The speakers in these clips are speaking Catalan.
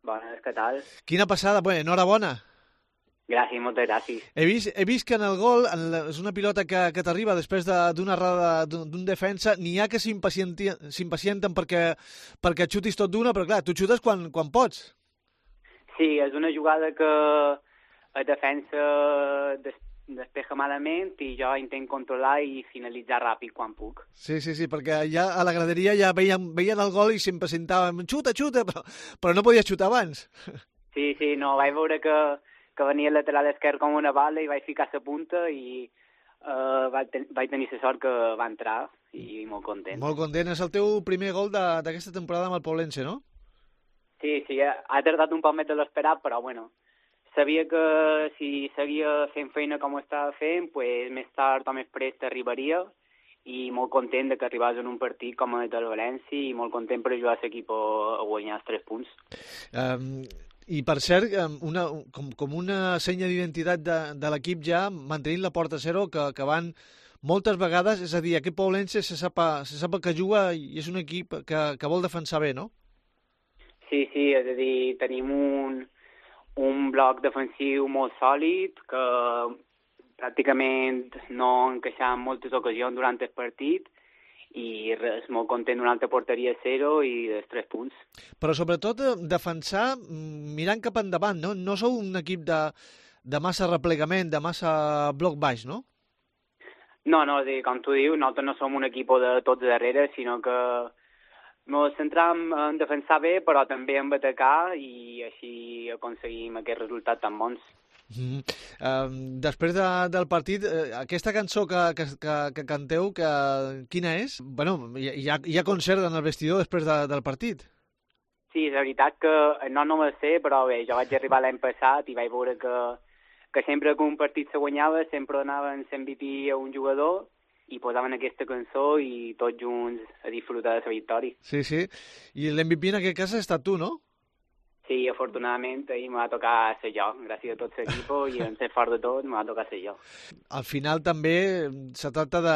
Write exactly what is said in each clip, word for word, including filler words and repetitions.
Bones, què tal? Quina passada, bé, enhorabona. Gràcies, moltes gràcies. He vist, he vist que en el gol, en la, és una pilota que, que t'arriba després d'una errada d'un defensa, n'hi ha que s'impacienten perquè, perquè xutis tot d'una, però clar, tu xutes quan, quan pots. Sí, és una jugada que el defensa des, despeja malament i jo intento controlar i finalitzar ràpid quan puc. Sí, sí, sí, perquè ja a la graderia ja veien, veien el gol i s'impacientaven, xuta, xuta, però, però no podies xutar abans. Sí, sí, no, vaig veure que que venia el lateral esquerre com una bala i vaig ficar la punta i uh, vaig, ten vaig tenir la sort que va entrar i molt content. Molt content. És el teu primer gol d'aquesta temporada amb el Poblense, no? Sí, sí, ha, ha tardat un poc més de l'esperat, però bueno, sabia que si seguia fent feina com ho estava fent, pues, més tard o més prest arribaria i molt content de que arribés en un partit com el del València i molt content per ajudar l'equip a guanyar els tres punts. Um... I, per cert, una, com, com una senya d'identitat de, de l'equip ja, mantenint la porta a zero, que, que van moltes vegades, és a dir, aquest Poblense se sap, se sap que juga i és un equip que, que vol defensar bé, no? Sí, sí, és a dir, tenim un, un bloc defensiu molt sòlid, que pràcticament no encaixava en moltes ocasions durant el partit, i res, molt content d'una altra porteria a zero i dels tres punts. Però sobretot defensar mirant cap endavant, no? No sou un equip de, de massa replegament, de massa bloc baix, no? No, no, dir, com tu dius, nosaltres no som un equip de tots darrere, sinó que ens centram en defensar bé, però també en atacar i així aconseguim aquests resultats tan bons. Mm. Uh, després de, del partit, uh, aquesta cançó que, que, que, que canteu, que, quina és? Bueno, hi ha, hi ha concert en el vestidor després de, del partit. Sí, és veritat que no, no me sé, però bé, jo vaig arribar l'any passat i vaig veure que, que sempre que un partit se guanyava sempre donaven l'M V P a un jugador i posaven aquesta cançó i tots junts a disfrutar de la victòria. Sí, sí, i l'M V P en aquest cas ha estat tu, no? Sí, afortunadament, ahir me va tocar ser jo, gràcies a tot l'equip i en ser fort de tot, me va tocar ser jo. Al final també se tracta de,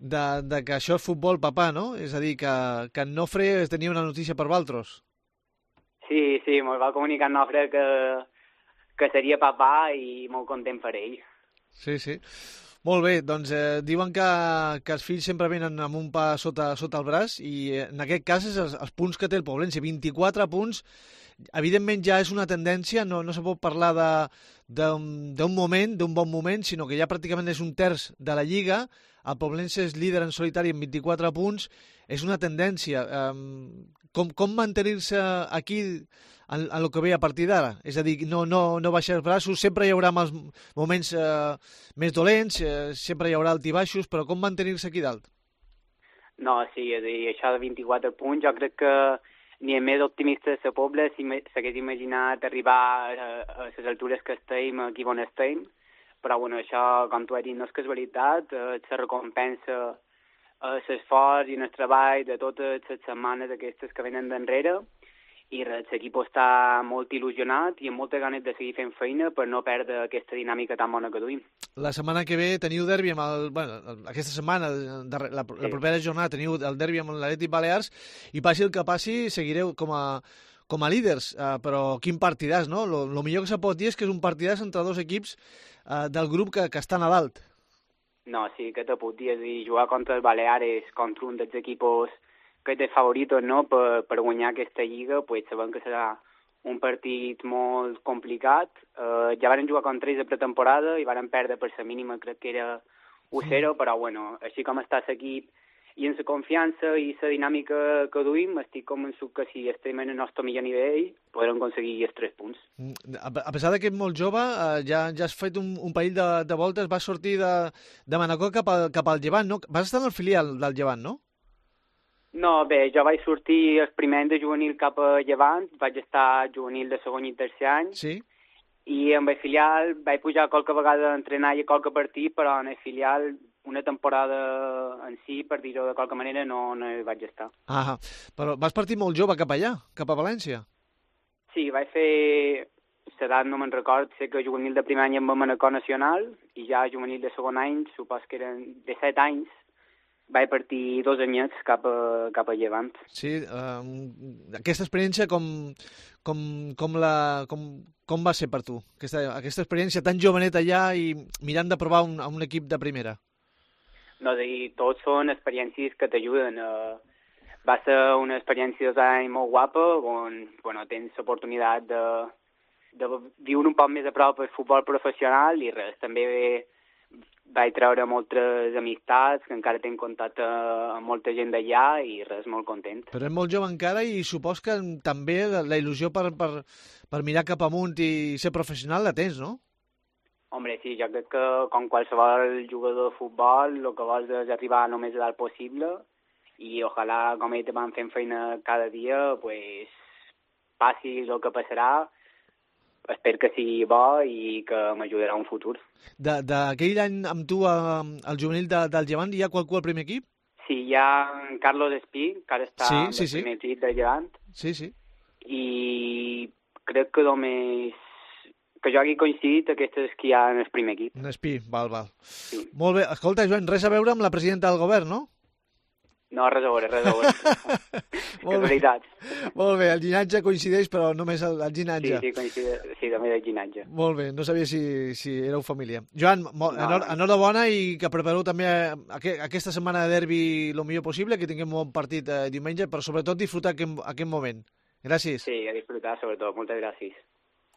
de, de que això és futbol, papà, no? És a dir, que, que en Nofre tenia una notícia per vosaltres. Sí, sí, me'l va comunicar en Nofre que, que seria papà i molt content per ell. Sí, sí. Molt bé, doncs eh, diuen que, que els fills sempre venen amb un pa sota, sota el braç i eh, en aquest cas és els, els punts que té el Poblense, vint-i-quatre punts. Evidentment ja és una tendència, no, no se pot parlar d'un moment, d'un bon moment, sinó que ja pràcticament és un terç de la Lliga, el Poblense és líder en solitari amb vint-i-quatre punts, és una tendència. Um, com, com mantenir-se aquí en, en el que ve a partir d'ara? És a dir, no, no, no baixar els braços, sempre hi haurà els moments uh, més dolents, uh, sempre hi haurà altibaixos, però com mantenir-se aquí dalt? No, sí, és a dir, això de vint-i-quatre punts, jo crec que ni el més optimista de la Pobla s'hagués imaginat arribar a, a les altures que estem, aquí on estem, però bueno, això, com tu has dit, no és casualitat, eh, se recompensa eh, l'esforç i el treball de totes les setmanes aquestes que venen d'enrere, i l'equip està molt il·lusionat i amb moltes ganes de seguir fent feina per no perdre aquesta dinàmica tan bona que duim. La setmana que ve teniu derbi amb el... Bueno, aquesta setmana, la, la sí. propera jornada, teniu el derbi amb l'Atlètic Balears i passi el que passi, seguireu com a, com a líders, uh, però quin partidàs, no? Lo, lo millor que se pot dir és que és un partidàs entre dos equips uh, del grup que, que estan a dalt. No, sí, que te puc dir, és dir, jugar contra el Baleares, contra un dels equipos que té favoritos, no?, per, per guanyar aquesta lliga, pues sabem que serà un partit molt complicat. Uh, ja varen jugar contra ells de pretemporada i varen perdre per la mínima, crec que era u zero, però bueno, així com està l'equip i en la confiança i la dinàmica que duim, estic convençut que si estem en el nostre millor nivell podrem aconseguir els tres punts. A pesar que ets molt jove, uh, ja, ja has fet un, un parell de, de voltes, vas sortir de, de Manacor cap, a, cap al Llevant, no? Vas estar en el filial del Llevant, no? No, bé, jo vaig sortir el primer any de juvenil cap a Llevant, vaig estar juvenil de segon i tercer any, sí. I amb el filial vaig pujar qualque vegada a entrenar i a qualque partit, però en el filial una temporada en si, per dir-ho de qualque manera, no, no hi vaig estar. Ah, però vas partir molt jove cap allà, cap a València? Sí, vaig fer, l'edat no me'n record, sé que juvenil de primer any amb el Manacor Nacional, i ja juvenil de segon any, supos que eren de set anys, vaig partir dos anyets cap a, cap a Llevant. Sí, uh, aquesta experiència com, com, com, la, com, com va ser per tu? Aquesta, aquesta experiència tan jovenet allà i mirant de provar un, un equip de primera. No, i tots són experiències que t'ajuden. Uh, va ser una experiència dos anys molt guapa, on bueno, tens l'oportunitat de, de viure un poc més a prop el futbol professional i res, també vaig treure moltes amistats, que encara tinc contacte amb molta gent d'allà i res, molt content. Però ets molt jove encara i supos que també la, la il·lusió per, per, per mirar cap amunt i ser professional la tens, no? Hombre, sí, jo crec que com qualsevol jugador de futbol el que vols és arribar el més a dalt possible i ojalà, com ells van fent feina cada dia, pues, passi el que passarà, espero que sigui bo i que m'ajudarà un futur. D'aquell any amb tu al juvenil de, del Llevant hi ha qualcú al primer equip? Sí, hi ha Carlos Espí, que ara està sí, al sí, sí. primer equip del Llevant. Sí, sí. I crec que només que jo hagi coincidit aquestes que hi ha en el primer equip. En Espí, val, val. Sí. Molt bé. Escolta, Joan, res a veure amb la presidenta del govern, no? No, res a veure, res a veure. Casualitats. Molt bé, el llinatge coincideix, però només el, el llinatge. Sí, sí, coincideix, sí, també el llinatge. Molt bé, no sabia si, si éreu família. Joan, no, enhor, enhorabona i que prepareu també aqu aquesta setmana de derbi el millor possible, que tinguem un bon partit eh, diumenge, però sobretot disfrutar aquest, aquest moment. Gràcies. Sí, a disfrutar, sobretot. Moltes gràcies.